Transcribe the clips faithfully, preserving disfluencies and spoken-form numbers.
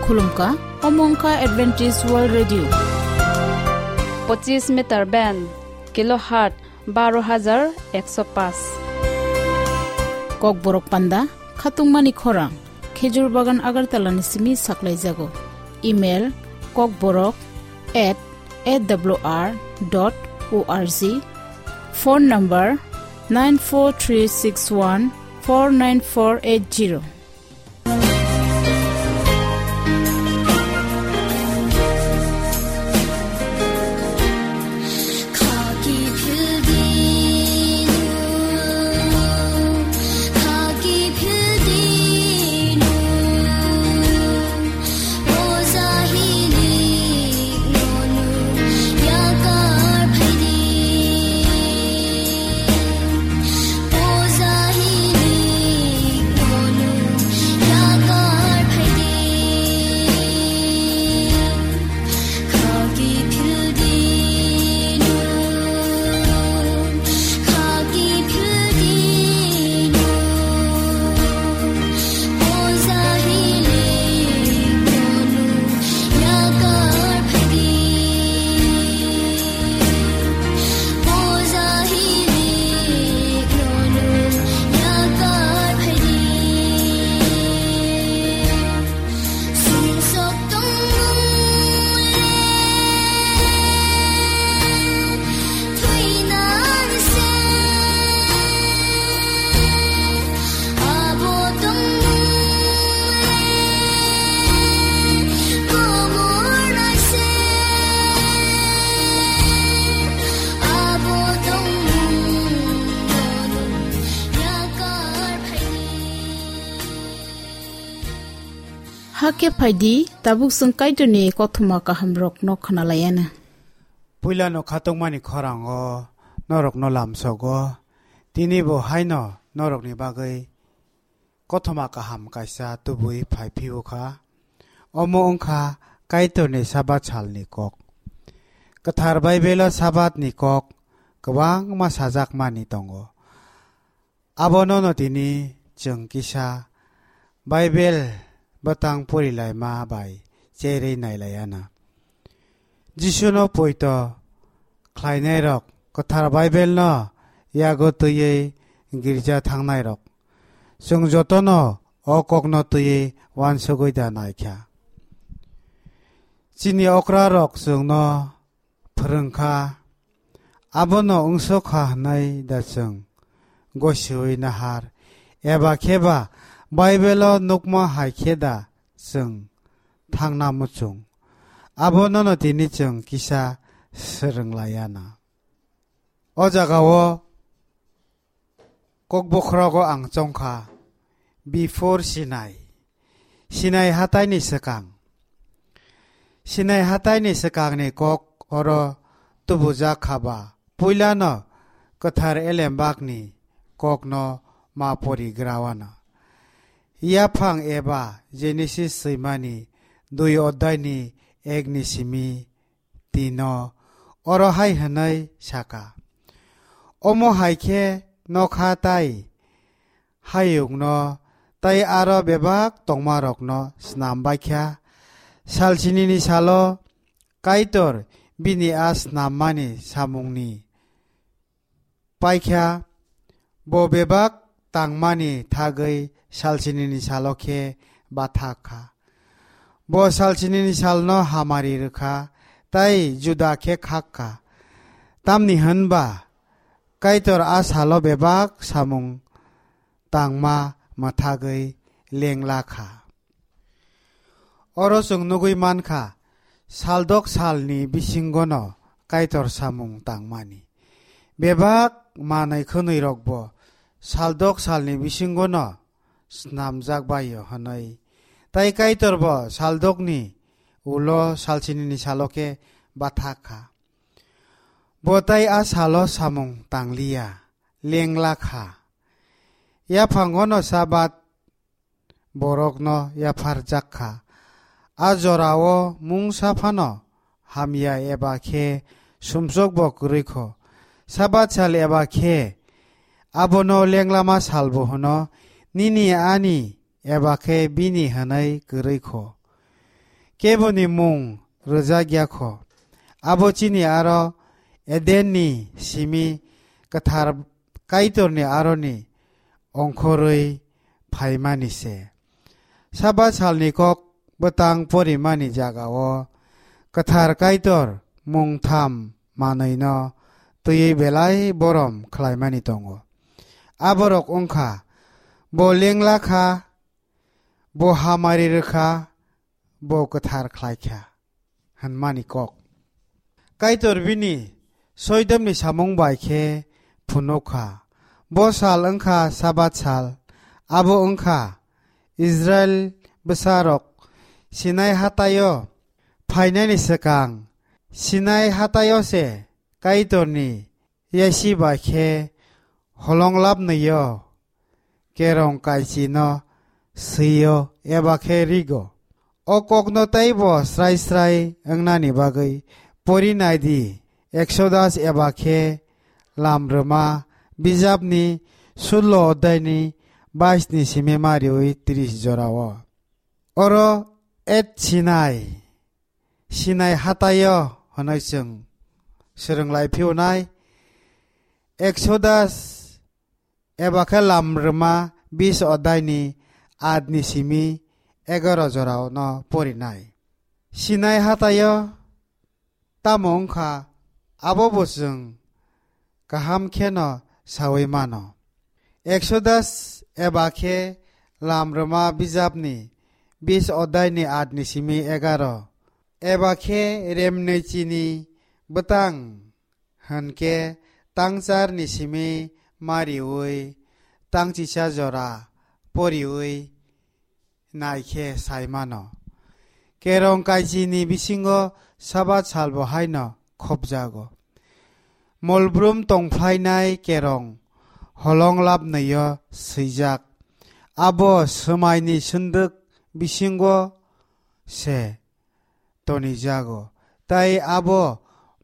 Khulumkha, omo wngkha Adventist World Radio. Pochis meter band, kilohertz baro hajar ekso paanch. Kokborok panda, khatungmani khorang, Khejur Bagan Agartala ni simi saklaijago. Email, kokborok at A W R dot O R G. Phone number, nine four three six one four nine four eight zero. Hakhe phaidi, tabuk chwng Kaitorni kothoma kahamrokno khwnalaianw. Puilano khatungmani khorango norokno lamsogo, tini bo haino norokni bagwi kothoma kaham kaisa tubui phai phiyokha. Omo wngkha Kaitorni Sabat salni kok. Kwthar Baibelo Sabatni kok kwbangma sajakmani tongo. Abonono tini chwng kisa Baibel bwtang porilaima bai cherwi nailaianw. Jisuno poito khlainairok, kwthar Baibelno yago twiwi girja thangnairok, chwng jotono o kokno twiwi uansugwi da naikha. Chini okrarok chwngno phwrwngkha, abono wngsokha hwnwi da chwng gosiwi nahar, eba khe ba Baibelo nukma hai khe da chwng thangna muchung? Abonono tini chwng kisa swrwng laianw. O jagao kokbokhorogo ang chongkha, before Sinai, Sinai hataini swkang. Sinai hataini swkangni kok oro tubujak kha ba, puilano kwthar elembakni kokno ma porigrawanw. Yaphang eba Genesis swimani dui oddaini ekni simi tino oro hai hwnwi saka, omo hai khe nokha tai hayungno tai aro bebak tongmarokno snam baikha. Salsinini salo Kaitor bini a snammani samungni paikha, bo bebak tangmani thagwi salsinini salo khe bathak kha. Bo salsinini salno hamari rwkha, tai juda khe khak kha. Tamni hwn ba Kaitor a salo bebak samung tangma mwthagwi lengla kha. Oro chwng nugwi man kha, saldok salni bisingono Kaitor samung tangmani. Bebak manwi khwnwirokbo saldok salni bisingono snamjak bai-o hwnwi. Tai Kaitorbo saldokni ulo salsinini salo khe bathak kha. Bo tai a salo samung tangliya, lengla kha. Yaphangono Sabat borokno yapharjak kha. A jorao mungsa phano hamya eba khe sumsokbo kwrwi kho. Sabat sal eba khe abono lenglama salbo hwno, nini ani eba khe bini hwnwi kwrwi kho. keboni mung rwjak ya kho. Abo chini aro Edenni simi kwthar Kaitorni aroni ongkhorwi phaimani se. Sabat salni kok bwtang porimani jagao kwthar Kaitor mung tham manwino twiwi belai borom khlaimani tongo. Aborok wngkha, bo lengla kha, bo hamari rwkha, bo kwthar khlaikha, hwnmani kok. Kaitor bini soidomni samung bai khe phunukha. Bo sal wngkha Sabat sal, abo wngkha Israil bwsarok Sinai hataio phainani swkang, Sinai hataio se Kaitorni yasi bai khe holong labnwio kerong kaichino swio eba khe rigo. O kokno teibo srai srai wngnani bagwi pori nai di, Exodus eba khe Lamrwma bijapni sullo odhaini bais ni simi mariwi tris jorao. Oro Et Sinai, Sinai hataio hwnwi chwng swrwng lai phiyonai. Exodus eba khe Lamrwma bis odhaini aat ni simi egaroh jorao no porinai. Sinai hataio tamo wngkha, abo bo chwng kaham kheno saui mano. Exodus eba khe Lamrwma bijapni bis odhaini aat ni simi egaroh. Eba khe remnwi chini bwtang hwnkhe tangcharni simi mariwi tangchisa jora poriwi nai khe sai mano. Kerong kaichini bisingo Sabat salbo haino khopjago. Molbrum tongphlainai kerong holong labnwio swijak. Abo swmaini swndwk bisingo se tonijago, tai abo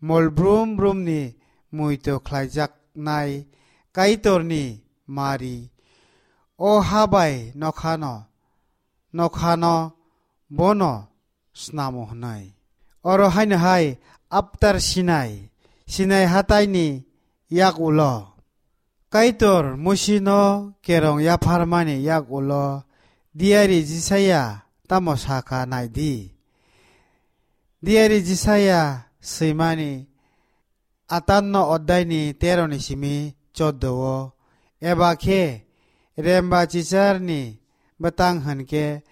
molbrum brumni muitu khlaijaknai Kaitorni mari. O ha bai nokhano, nokhano bono snamo hwnwi. Oro haino hai Aptar Sinai, Sinai hataini yak ulo. Kaitor Musino kerong yapharmani yak ulo diari Jisaya tamo sakha nai di. Diari Jisaya swimani atanno oddaini teroni simi choddo o, eba khe remba chicharni bwtang hwnkhe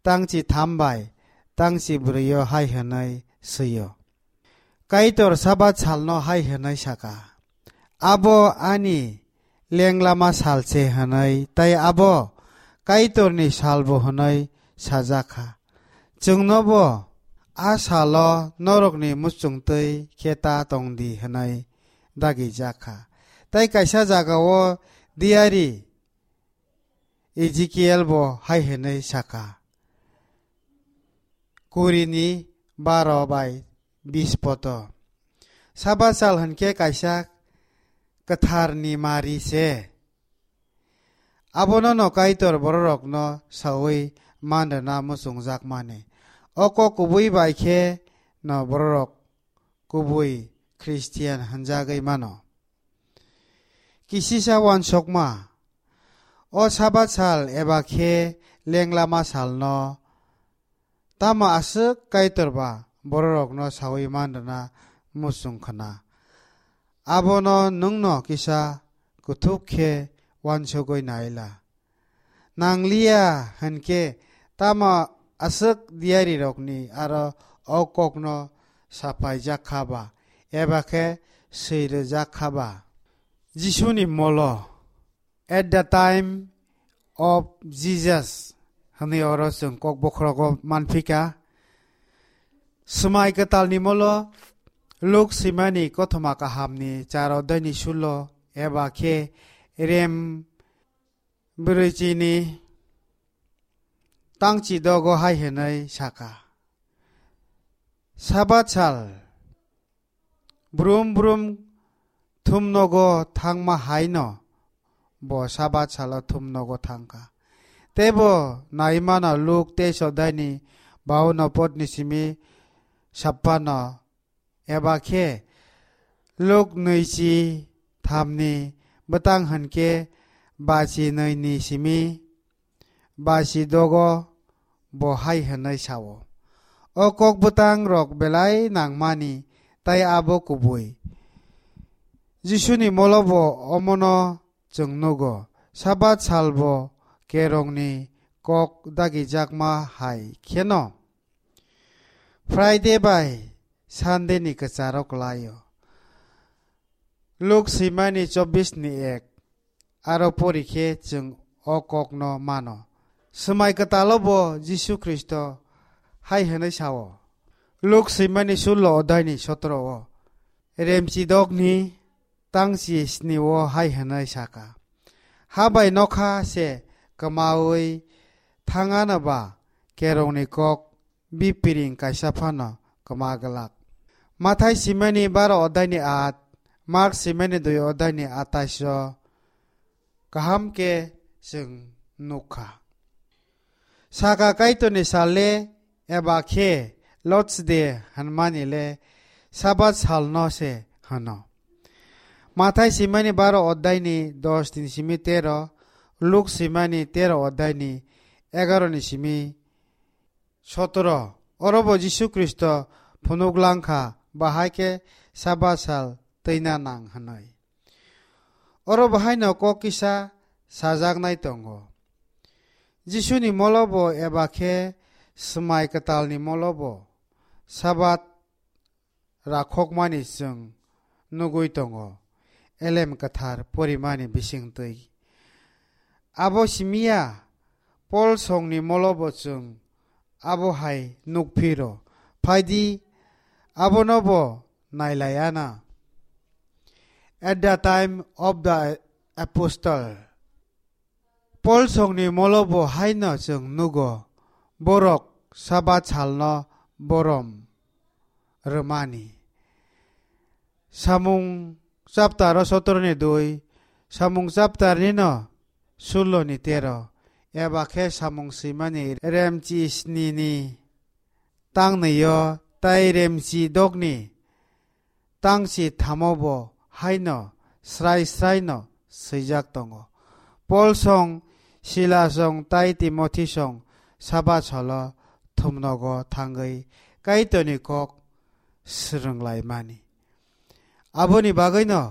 tangchi tham bai tangchi brwi o hai hwnwi swi-o. Kaitor Sabat salno hai hwnwi saka, "Abo ani lenglama sal se," hwnwi, tei abo Kaitorni salbo hwnwi sajak kha. Chwngnobo a salo norokni muchungtwi khe ta tong di hwnwi dagijak kha. Tei kaisa jagao diari Ezekiel bo hai hwnwi saka, kurini baro bai bis poto. Sabat sal hwnkhe kaisa kwtharni mari se. Abono no Kaitor bororokno saui man rwna muchungjakmani. O kok kubui bai khe no bororok kubui Khristian hwnjagwi mano. Kisisa uansukma, o Sabat sal eba khe lenglama salno tamo aswk Kaitor ba bororokno saui man rwna muchung khna? Abono nwngno kisa kuthuk khe uansugwi nai la. Nangliya hwnkhe tamo aswk diarirokni aro o kokno sapaijak kha ba, eba khe swi rwjak kha ba? Jisuni molo, "At the time of Jesus" hwnwi oro chwng kok bokhorogo manphika. Swmai kwtalni molo Luk swimani kothoma kahamni char oddaini sullo eba khe rem brwichini tangchi dogo hai hwnwi saka, Sabat sal brum brum thumnogo thangma haino bo Sabat salo thumnogo thangkha. Teibo nai mano Luk teis oddaini bauno podni simi sappano, eba khe Luk nwichi thamni bwtang hwnkhe bachi nwini simi bachi dogo bo hai hwnwi sao, "O kok bwtang rok belai nangmani, tai abo kubui." Jisuni molobo omono chwng nugo, Sabat salbo kerongni kok dagijakma hai kheno Friday bai Sunday ni kwcharo kwlaio. Luk swimani chobbish ni ek, aro pori khe chwng o kokno mano. Swmai kwtalo bo Jisu Khristo hai hwnwi sao. Luk swimani sullo odai ni sotro o, remchi dok ni tangchi sni o hai hwnwi saka, "Ha bai nokha se kwmaui thangano ba kerongni kok bipiring kaisa phano kwma glak." Mathai simani baro odai ni at, Mark simani dui odai ni atais o kaham khe chwng nukha. Saka Kaitorni sal le, eba khe Lord's Day hwnmani le Sabat salno se hwno. Mathai simani baro odai ni dos ni simi tero, Luk simani tero odai ni egaro ni simi sotoro. Oro bo Jisu Khristo phunuk langkha, bahai khe Sabat sal twina nang hwnwi. Oro bo haino kok kisa sajaknai tongo. Jisuni molobo eba khe swmai kwtalni molobo Sabat rakhokmani chwng nugui tongo, Elem Kwthar porimani bisingtwi. Abo simiya, Pol songni molobo chwng abo hai nukphiro. Phaidi, abono bo nailaiana. At the time of the apostle, Pol songni molobo haino chwng nugo, borok Sabat salno borom rwmani. Samung chapter o sotoro ni dui, Samung chapter nino sullo ni tero, eba khe Samung swimani remchi sni ni tang nwi o tai remchi dok ni tangchi thamo bo haino srai srai no swijak tongo. Pol song, Sila song tai Timothi song Sabat salo thumnogo thangwi Kaitorni kok swrwnglaimani. Aboni bagwino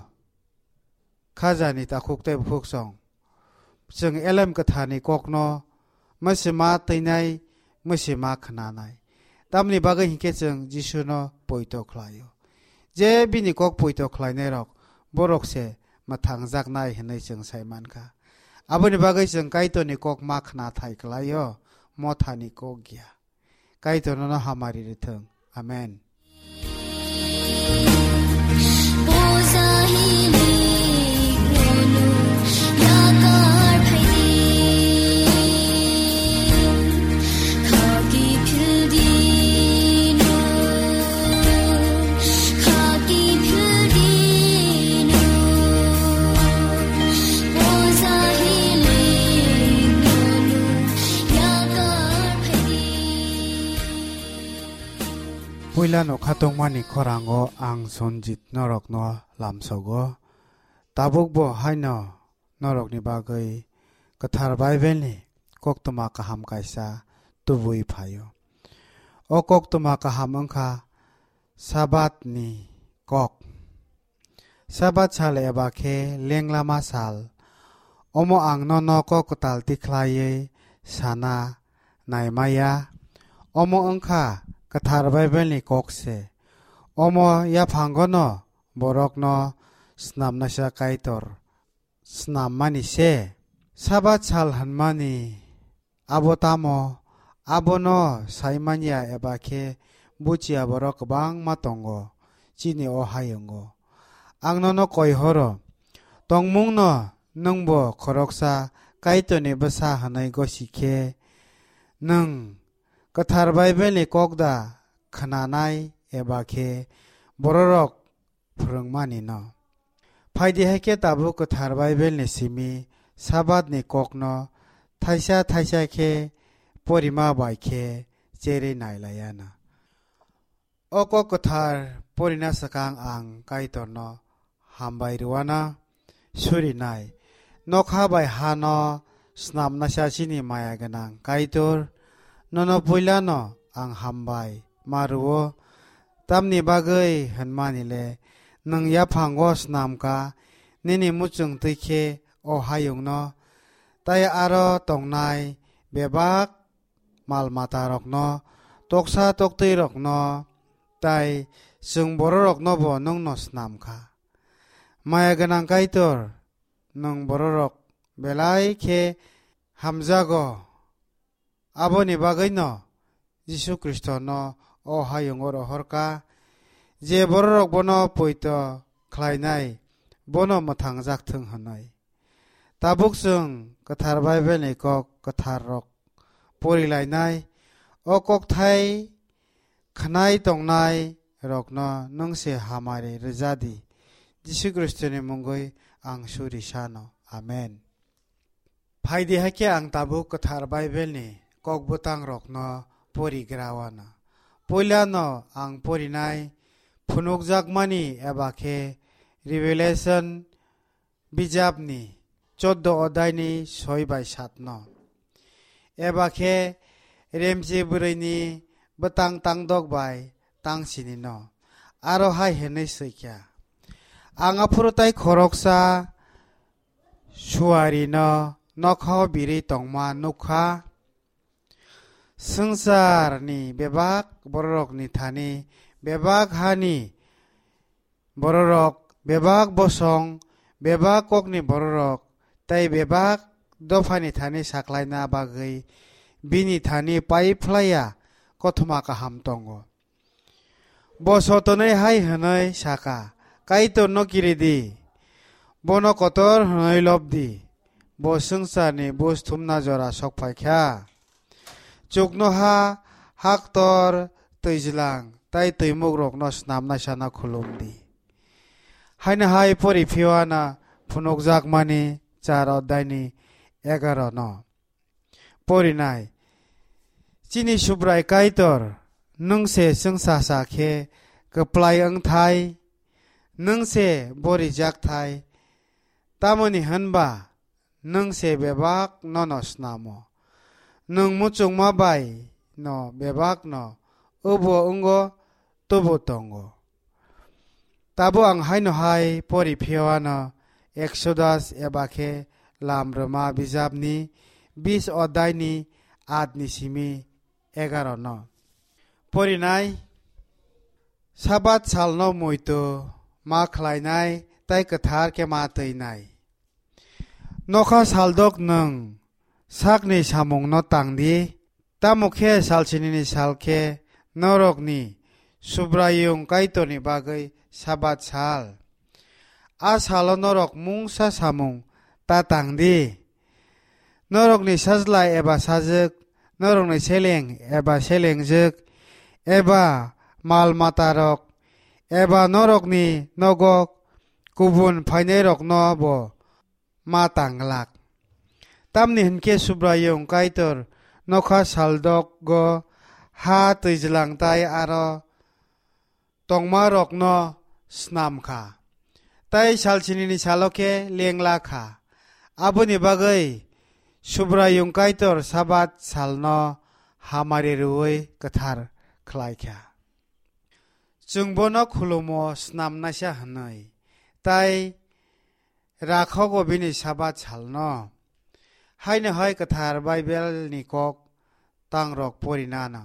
khajani takhuk tei bukhuk song, chwng Elem Kwtharni kokno mwsima twinai, mwsima khnanai. Tamni bagwi hinkhe chwng Jisuno poito khlaio. Je bini kok poito khlainairok, borok se mwthangjaknai hwnwi chwng sai mankha. Aboni bagwi chwng Kaitorni kok ma khna thai klaio, mothani kok ya. Kaitor nono hamari rwthwng. Amen. Puila no khatungmani khorango ang Sonjit norokno lamsogo. Tabukbo haino norokni bagwi Kwthar Bible ni koktwma kaham kaisa tubui phaio. O koktwma kaham wngkha Sabat ni kok. Sabat sal eba khe lenglama sal. Omo ang nono kok kwtal tikhlaiwi sana naimaya. Omo wngkha Kwthar Bible ni kok se. Omo yaphangono borokno snamnaisa Kaitor snammani se. Sabat sal hwnmani abo tamo? Abono saimanya eba khe buchiya borok kwbangma tongo, chini o hayungo. Ang nono koi horo, tongmungno nwngbo khoroksa Kaitorni bwsa hwnwi gosi khe, nwng Kwthar Bible ni kok da khnanai eba khe bororok phwrwngmani no. Phaidi hai khe tabuk Kwthar Bible ni simi Sabat ni kok no thaisa thaisa khe porima bai khe cherwi nai laiya na. O kok kwthar porina swkang ang Kaitorno hambai rwna surinai. Nokha bai hano snamnaisa chini maya gwnang Kaitor, nono puilano ang hambai ma rwo. Tamni bagwi hwnmani le nwng yaphango snamkha nini muchung twi khe o hayungno, tai aro tongnai bebak mal matarokno, toksa toktwirokno, tai chwng bororoknobo nwngno snam kha. Maya gwnang Kaitor, nwng bororok belai khe hamjago. Aboni bagwino Jisu Khristono o hayungo rohor kha, je bororok bono poito khlainai, bono mwthangjak thung hwnwi. Tabuk chwng kwthar Bible ni kok kwthar rok pori lainai, o kokthai khwnai tongnai rokno nwng se hamari rwja di. Jisu Khristo ni mungwi ang suri sano. Amen. Phaidi hakhe ang tabuk kwthar Bible ni kok bwtang rokno pori gra wana. Puila no ang porinai phunukjakmani eba khe Revelation bijapni choddo odai ni soi bai sat no. Eba khe remchi bwrwi ni bwtang tangdok bai tangsini no. Aro hai hwnwi swi kha, ang aphuru tai khoroksa suari no nokha o birwi tongma nukha. Swngchar ni bebak bororok ni thani, bebak ha ni bororok, bebak bosong, bebak kok ni bororok, tei bebak dopha ni thani saklaina bagwi bini thani pai phlaiya kothoma kaham tongo. Bo sotonwi hai hwnwi saka, "Kaitorno kiri di, bono kotor hwnwi lob di, bo swngcharni buj thumna jora sok phai kha. Chuknoha, haktor, twijlang tei twimukrokno snamnaisano khulum di." Haino hai pori phiyano phunukjakmani char oddaini egaro no. Porinai. Chini Subrai Kaitor, nwng se chwngsacha khe kwplai wngthai, nwng se bo rijak thai, tamoni hwnba nwng se bebak nono snamo. Nwng muchungma bai no bebak no obo wngo, tubu tongo. Tabo ang haino hai pori phiyano Exodus eba khe Lam Rwma bijapni bis oddaini atni simi egaro no. Porinai, Sabat salno muitu ma khlainai tei kwthar khe ma twinai. Nokha saldok nwng sakni samungno tang di, tamo khe salsinini sal khe norokni Subraiyung Kaitorni bagwi Sabat sal. A salo norok mungsa samung ta tang di. Norokni sajla eba sajwk, norokni seleng eba selengjwk, eba mal matarok, eba norokni nogo kubun phainairokno bo ma tanglak. Tamni hwn khe Subraiyung Kaitor nokha saldokgo ha twijlang tai aro tongmarokno snam kha, tei salsinini salo khe lengla kha. Aboni bagwi Subraiyung Kaitor Sabat salno hamari rwui kwthar khlai kha. Chwng bono khulumo snamnaisa hwnwi, tei rakhogo bini Sabat salno. Haino hai kwthar Baibelni kok tangrok porinano.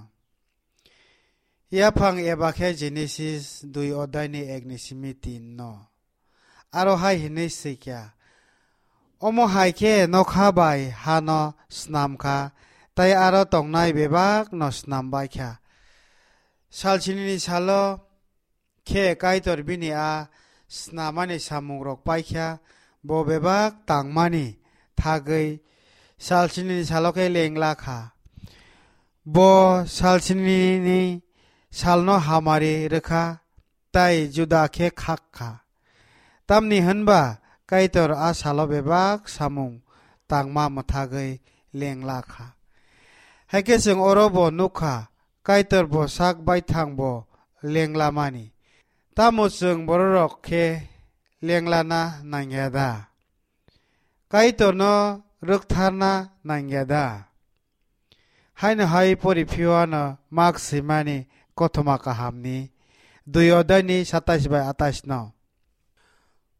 Yaphang eba khe Genesis dui oddaini ekni simi tin no. Aro hai hwnwi swi kha, omo hai khe nokha bai hano snam kha, tei aro tongnai bebak no snam bai kha. Salsinini salo khe Kaitor bini a snamani samungrok pai kha, bo bebak tangmani thagwi salsinini salo khe lengla kha. Bo salsinini salno hamari rwkha, tei juda khe khak kha. Tamni hwnba Kaitor a salo bebak samung tangma mwthagwi lengla kha. Hai khe chwng oro bo nuk kha, Kaitor bo sak baithang bo lenglamani. Tamo chwng bororok khe lenglana nangya da? Kaitorno rwktharna nangya da? Haino hai pori phiyano Mak swimani kothoma kahamni dui odaini satais bai atais no.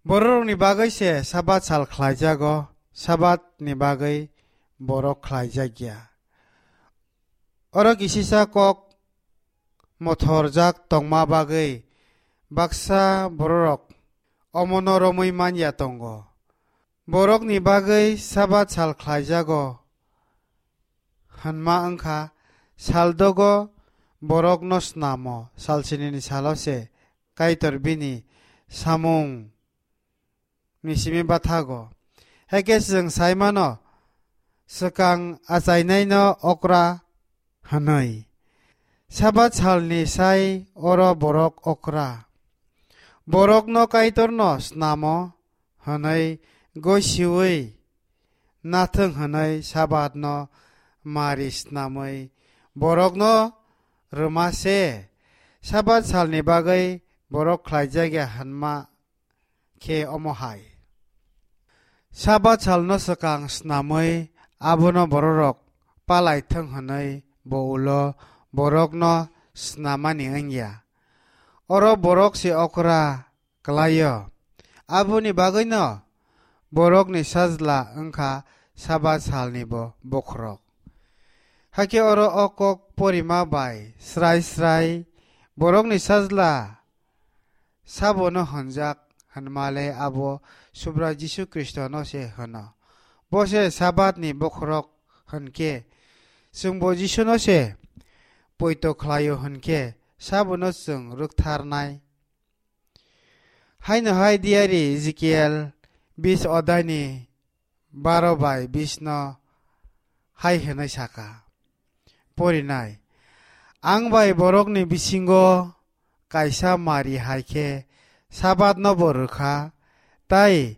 Bororokni bagwi se Sabat sal khlaijago, Sabatni bagwi borok khlaijak ya. Oro kisisa kok mothorjak tongma bagwi baksa bororok omono romwi man ya tongo. Borokni bagwi Sabat sal khlaijago hwnma wngkha, saldogo borokno snamo, salsinini salo se Kaitor bini samung ni simi bathago. Hakhe chwng sai mano, swkang achainaino okra hwnwi. Sabat salni sai oro borok okra. Borokno Kaitorno snamo hwnwi gosiui nathwng hwnwi Sabatno mari snamwi borokno rwma se. Sabat salni bagwi borok khlaijak ya hwnma khe omo hai. Sabat salno swkang snamwi abono bororok palai thwng hwnwi bo ulo borokno snamani wngya. Oro borok se okra kwlaio. Aboni bagwino borokni sajla wngkha Sabat salni bo bokhorok. Hakhe oro o kok porima bai srai srai borokni sajla sabono hwnjak hwnmale abo Subrai Jisu Khristono se hwno. Bo se Sabatni bokhorok hwnkhe chwngbo Jisuno se poito khlaio hwnkhe sabono chwng rwktharnai. Haino hai diari Ezekiel bis odaini baro bai bis no hai hwnwi saka, porinai, "Ang bai borokni bisingo kaisa mari hai khe Sabatno bo rwkha, tai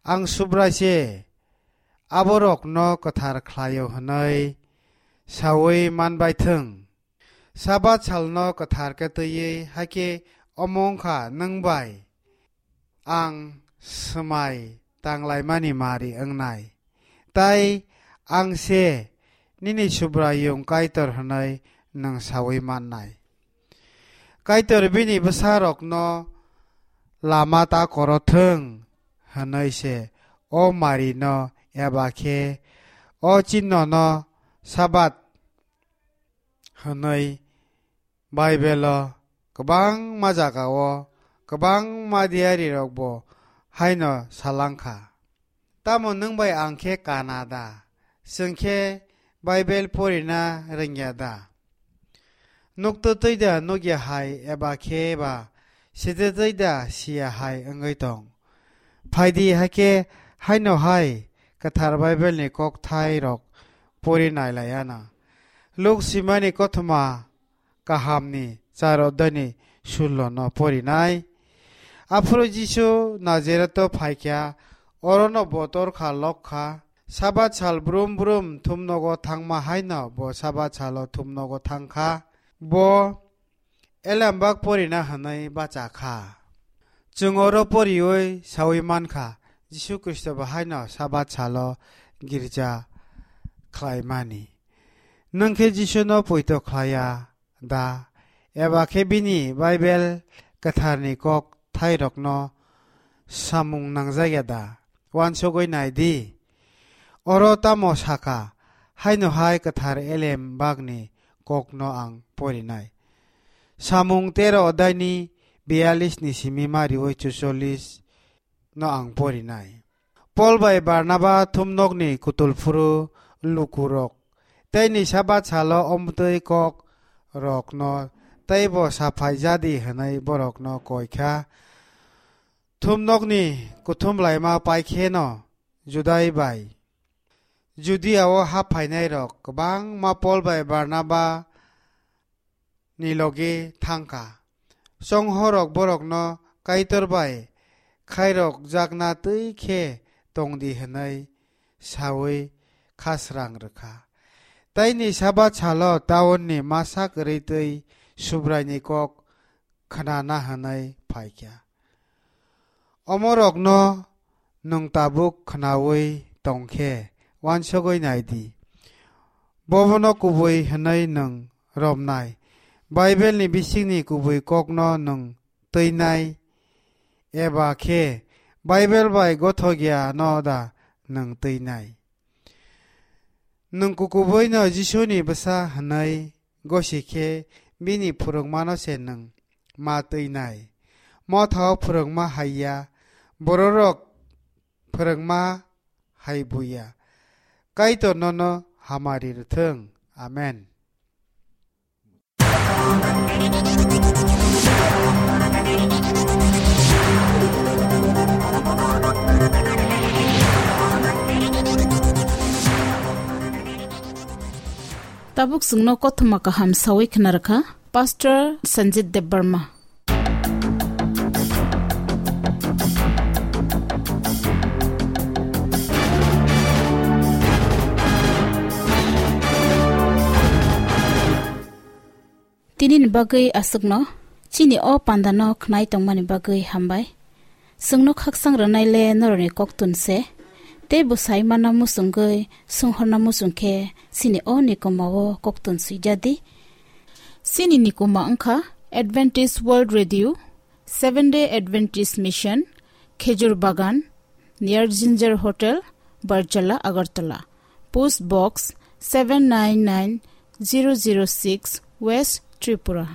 ang Subrai se aborokno kwthar khlaio hwnwi saui manbai thwng." Sabat salno kwthar khe twiwi hakhe omo wngkha nwng bai ang swmai tanglaimani mari wngnai, tai ang se nini Subraiyung Kaitor hwnwi nwng saui mannai. Kaitor bini bwsarokno lama ta korothwng hwnwi se o marino eba khe o chinnono Sabat hwnwi Baibelo kwbangma jagao kwbangma diarirokbo haino salangkha. Tamo nwng bai ang khe kana da? Chwng khe Baibel porina rwngya da? Nukto twi da nukya hai eba khe ba site twi da siya hai wngwi tong? Phaidi hakhe haino hai kwthar Baibelni kokthairok pori nailaiana. Luk simani kothoma kahamni char odani sullo no porinai. Aphuru Jisu Nazareto phaikha, orono bo torkha lokha. Sabat sal brum brum thumnogo thangma haino bo Sabat salo thumnogo thangkha. Bo elembak porina hwnwi bachakha. Chwng oro poriwi saui mankha, Jisu Khristo bo haino Sabat salo girja khlaimani. Nwng khe Jisuno poito khlaiya da? Eba khe bini Baibel kwtharni kok thairokno samung nangjakya da? Uansugwi nai di. Oro tamo sakha, haino hai kwthar elem bagni kokno ang porinai. Samung tero odaini biyalisni simi mariwi chuchollis no ang porinai. Pol bai Barnaba thumnokni kutulphuru lukurok teini Sabat salo omtwi kok rokno teibo saphai jadi hwnwi borokno koikha. Thumnokni kuthum laima paikheno Judai bai Judiao hap phainairok kwbangma Pol bai Barnaba ni logi thangkha. Chonghorok borokno Kaitor bai khairokjakna twi khe tongdi hwnwi saui khasrang rwkha. Taini Sabat salo taunni masa kwrwi twi Subraini kok khnana hwnwi phaikha. Omorokno nwng tabuk khnaui tongkhe uansugui naidi. Bobono kubui hwnwi nwng romnai. Baibelni bisingni kubui kokno nwng twinai, eba khe Baibel bai gothokya no da nwng twinai? Nwng kukubuino Jisuni bwsa hwnwi gosi khe bini phwrwngmano se nwng ma twinai. Mothao phwrwngma hai ya, bororok phwrwngma hai buya. Kaitor nono hamari rwthwng. Amen. Tabuk chwngno kothoma kaham sawi khna rwkha Pastor Sanjit Debbarma. Tini ni bagwi aswkno, chini o pandano khnai tongmani bagwi hambai. Chwngno khaksang rwnai le norokni koktun se, tei bwsai mana muchungwi swnghorna muchung khe chini o nikoma o koktun swijadi. Chini nikoma wngkha Adventist World Radio, Seven Day Adventist Mission, Khejur Bagan, near Ginger Hotel, Barjala, Agartala. Post Box seven nine nine zero zero six, West Tripura.